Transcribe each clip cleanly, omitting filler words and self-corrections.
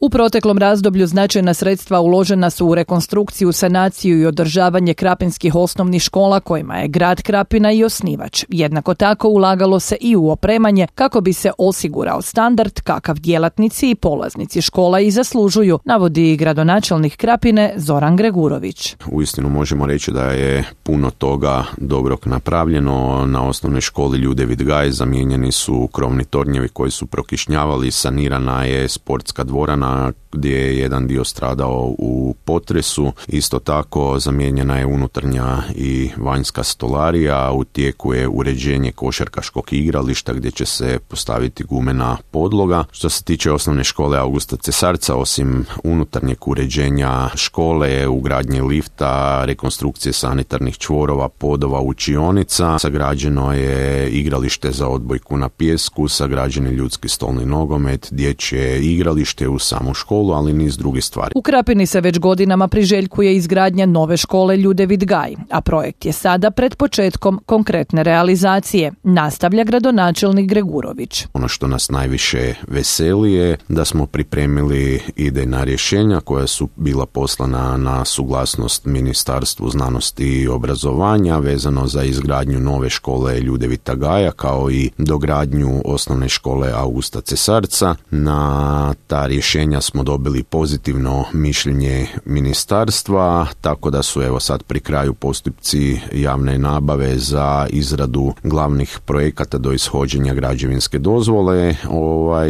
U proteklom razdoblju značajna sredstva uložena su u rekonstrukciju, sanaciju i održavanje krapinskih osnovnih škola kojima je grad Krapina i osnivač. Jednako tako ulagalo se i u opremanje kako bi se osigurao standard kakav djelatnici i polaznici škola i zaslužuju, navodi gradonačelnik Krapine Zoran Gregurović. Uistinu možemo reći da je puno toga dobrog napravljeno. Na osnovnoj školi Ljudevit Gaj zamijenjeni su krovni tornjevi koji su prokišnjavali, sanirana je sportska dvorana gdje je jedan dio stradao u potresu. Isto tako zamijenjena je unutarnja i vanjska stolarija, u tijeku je uređenje košarkaškog igrališta gdje će se postaviti gumena podloga. Što se tiče osnovne škole Augusta Cesarca, osim unutarnjeg uređenja škole, ugradnje lifta, rekonstrukcije sanitarnih čvorova, podova, učionica, sagrađeno je igralište za odbojku na pijesku, sagrađen je ljudski stolni nogomet, dječje igralište u samu školu, ali niz drugih stvari. U Krapini se već godinama priželjkuje izgradnja nove škole Ljudevit Gaj, a projekt je sada pred početkom konkretne realizacije, nastavlja gradonačelnik Gregurović. Ono što nas najviše veseli je da smo pripremili idejna rješenja koja su bila poslana na suglasnost Ministarstvu znanosti i obrazovanja vezano za izgradnju nove škole Ljudevita Gaja kao i dogradnju osnovne škole Augusta Cesarca. Na ta rješenja smo dobili pozitivno mišljenje ministarstva, tako da su evo sad pri kraju postupci javne nabave za izradu glavnih projekata do ishođenja građevinske dozvole.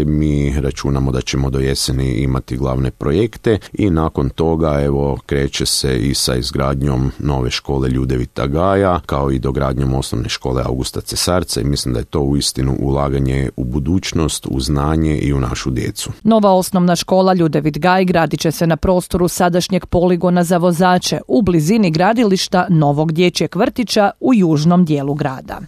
Mi računamo da ćemo do jeseni imati glavne projekte i nakon toga evo kreće se i sa izgradnjom nove škole Ljudevita Gaja kao i dogradnjom osnovne škole Augusta Cesarca i mislim da je to uistinu ulaganje u budućnost, u znanje i u našu djecu. Nova osnovna škola Ljudevit Gaj gradit će se na prostoru sadašnjeg poligona za vozače u blizini gradilišta novog dječjeg vrtića u južnom dijelu grada.